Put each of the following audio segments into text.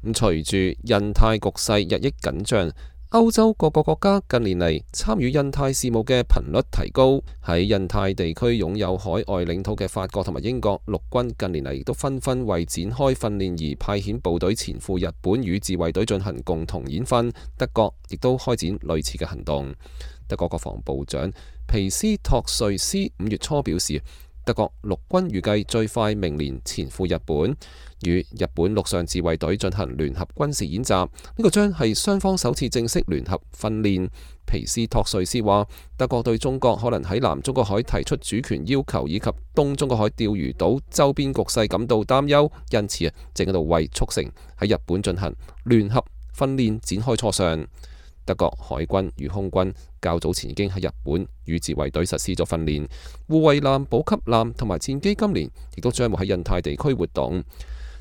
隨住印太局勢日益緊張，歐洲各個國家近年嚟參與印太事務嘅頻率提高。喺印太地區擁有海外領土嘅法國同埋英國陸軍近年嚟亦都紛紛為展開訓練而派遣部隊前赴日本與自衛隊進行共同演訓。德國亦都開展類似嘅行動。德國國防部長皮斯托瑞斯5月初表示，德國陸軍預計最快明年前赴日本，與日本陸上自衛隊進行聯合軍事演習。呢個將係雙方首次正式聯合訓練。皮斯托瑞斯話，德國對中國可能喺南中國海提出主權要求以及東中國海釣魚島周邊局勢感到擔憂，因此正喺度為促成喺日本進行聯合訓練展開磋商。德國海軍與空軍較早前已經喺日本與自衛隊實施咗訓練，護衛艦、補給艦同埋戰機今年亦都將會喺印太地區活動。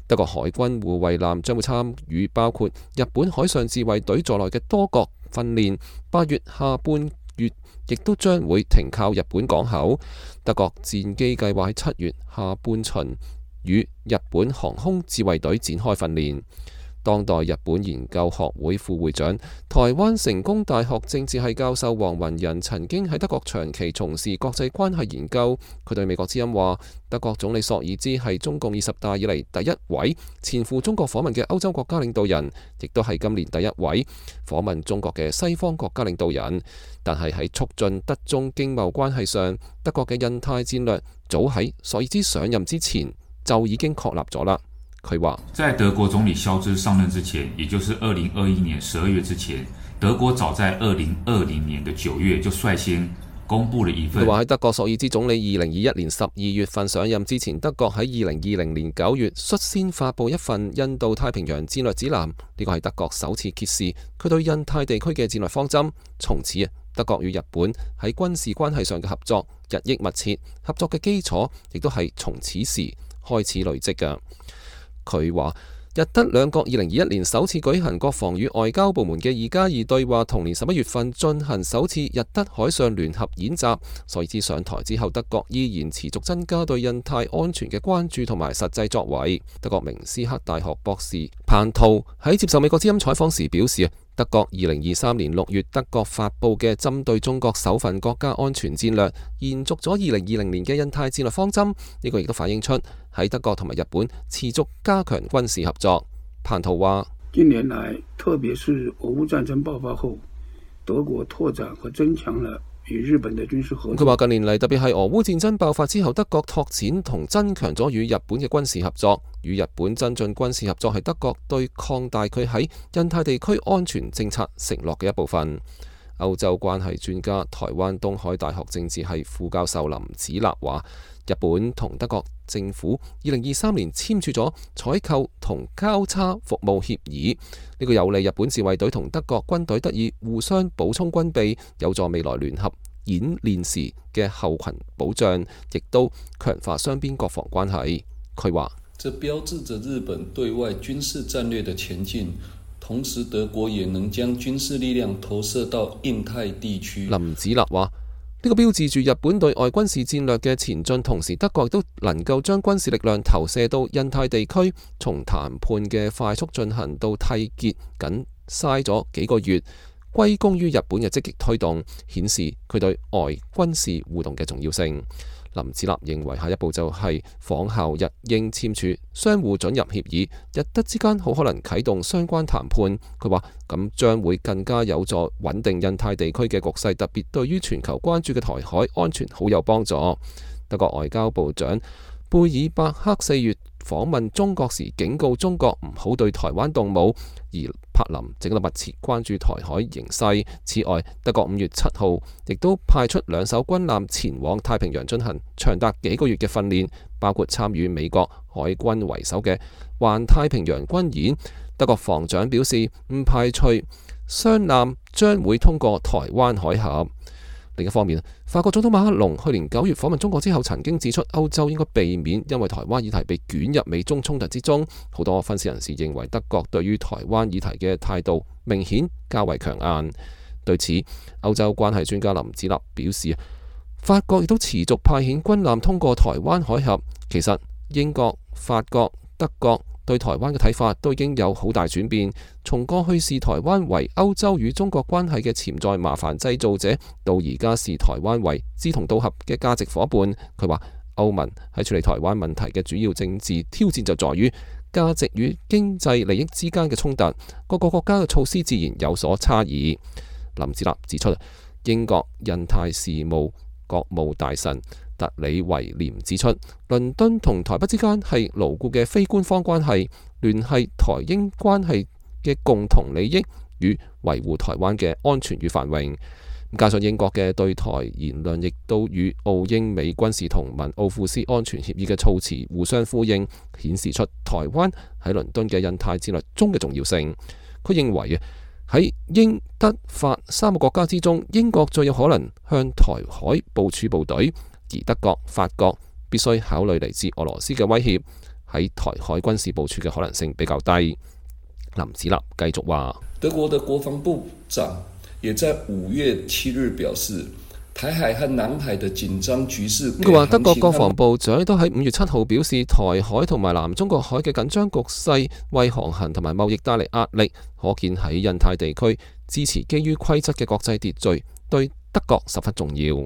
德國海軍護衛艦將會參與包括日本海上自衛隊在內嘅多國訓練，8月下半月亦都將會停靠日本港口。德國戰機計劃喺7月下半旬與日本航空自衛隊展開訓練。當代日本研究學會副會長、台灣成功大學政治系教授黃雲仁曾經喺德國長期從事國際關係研究。佢對美國之音話，德國總理朔爾茲係中共20大以嚟第一位前赴中國訪問嘅歐洲國家領導人，亦都係今年第一位訪問中國嘅西方國家領導人。但係喺促進德中經貿關係上，德國嘅印太戰略早喺朔爾茲上任之前就已經確立咗啦。佢話，在德國總理肖茲上任之前，也就是2021年12月之前，德國早在2020年的9月就率先公布了一份。佢話喺德國朔爾茲總理2021年12月份上任之前，德國喺2020年9月率先發布一份印度太平洋戰略指南，呢個係德國首次揭示佢對印太地區嘅戰略方針。從此德國與日本喺軍事關係上嘅合作日益密切，合作嘅基礎亦都係從此時開始累積嘅。佢話，日德兩國2021年首次舉行國防與外交部門嘅2+2對話，同年11月份進行首次日德海上聯合演習。朔爾茲上台之後，德國依然持續增加對印太安全嘅關注同埋實際作為。德國明斯克大學博士彭圖喺接受美國之音採訪時表示，德國2023年6月德國發布嘅針對中國首份國家安全戰略，延續咗2020年嘅印太戰略方針。呢個亦都反映出喺德國同埋日本持續加強軍事合作。彭圖話，近年來，特別是俄烏戰爭爆發後，德國拓展和增強了與日本的軍事合作。佢話近年嚟，特別係俄烏戰爭爆發之後，德國拓展同增強咗與日本嘅軍事合作。與日本增進軍事合作係德國對擴大佢喺印太地區安全政策承諾嘅一部分。歐洲關係專家、台灣東海大學政治系副教授林子立話，日本同德國政府2023年簽署咗採購同交叉服務協議，呢個有利日本自衛隊同德國軍隊得以互相補充軍備，有助未來聯合演練時嘅後勤保障，亦都強化雙邊國防關係。佢話，這標誌着日本對外軍事戰略的前進，同時德國也能將軍事力量投射到印太地區。林子立話，呢個標誌住日本對外軍事戰略嘅前進，同時德國亦都能夠將軍事力量投射到印太地區。從談判嘅快速進行到締結僅嘥咗幾個月，歸功於日本嘅積極推動，顯示佢對外軍事互動嘅重要性。林子立認為下一步就係仿效日英簽署相互准入協議，日德之間好可能啟動相關談判。佢話咁將會更加有助穩定印太地區嘅局勢，特別對於全球關注嘅台海安全好有幫助。德國外交部長貝爾伯克4月訪問中國時警告中國唔好對台灣動武，而柏林正喺度密切關注台海形勢。此外，德國5月7號亦都派出2艘軍艦前往太平洋進行長達幾個月嘅訓練，包括參與美國海軍為首嘅環太平洋軍演。德國防長表示唔排除雙艦將會通過台灣海峽。另一方面，法國總統馬克龍去年9月訪問中國之後，曾經指出歐洲應該避免因為台灣議題被捲入美中衝突之中。好多分析人士認為德國對於台灣議題嘅態度明顯較為強硬。對此，歐洲關係專家林子立表示，法國亦都持續派遣軍艦通過台灣海峽。其實英國、法國、德國對台灣嘅睇法都已經有好大轉變，從過去視台灣為歐洲與中國關係嘅潛在麻煩製造者，到而家視台灣為志同道合嘅價值夥伴。佢話歐盟喺處理台灣問題嘅主要政治挑戰就在於價值與經濟利益之間嘅衝突，各個國家嘅措施自然有所差異。林子立指出，英國印太事務國務大臣特里維廉指出，倫敦同台北之間係牢固嘅非官方關係，聯繫台英關係嘅共同利益與維護台灣嘅安全與繁榮。加上英國嘅對台言論，亦都與澳英美軍事同盟奧庫斯安全協議嘅措辭互相呼應，顯示出台灣喺倫敦嘅印太戰略中嘅重要性。佢認為喺英德法三個國家之中，英國最有可能向台海部署部隊，而德國、法國必須考慮嚟自俄羅斯嘅威脅，喺台海軍事部署嘅可能性比較低。林子立繼續話，德國的國防部長也在5月7日表示，台海和南海的緊張局勢。佢話德國國防部長都喺5月7號表示，台海同埋南中國海嘅緊張局勢為航行同埋貿易帶嚟壓力，可見喺印太地區支持基於規則嘅國際秩序對德國十分重要。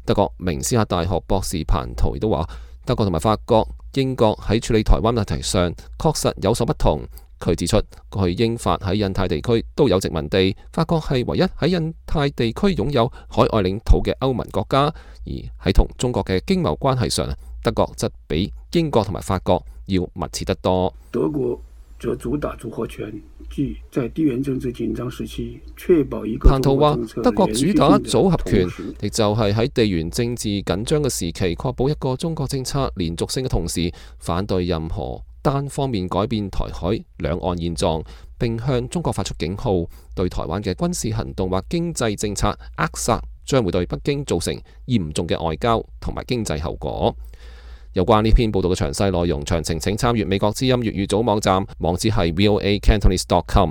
德國明斯克大學博士彭圖亦都話，德國同埋法國、英國喺處理台灣問題上確實有所不同。佢指出，過去英法喺印太地區都有殖民地，法國係唯一喺印太地區擁有海外領土嘅歐盟國家，而喺同中國嘅經貿關係上，德國則比英國同埋法國要密切得多。德國則主打組合拳，即在地緣政治緊張時期確保一個。彭圖話，德國主打組合拳，亦就係喺地緣政治緊張嘅時期，確保一個中國政策連續性嘅同時，反對任何單方面改變台海兩岸現狀，並向中國發出警號，對台灣嘅軍事行動或經濟政策扼殺，將會對北京造成嚴重嘅外交同埋經濟後果。有關呢篇報道嘅詳細內容，詳情請參閱美國之音粵語組網站，網址係voacantonese.com。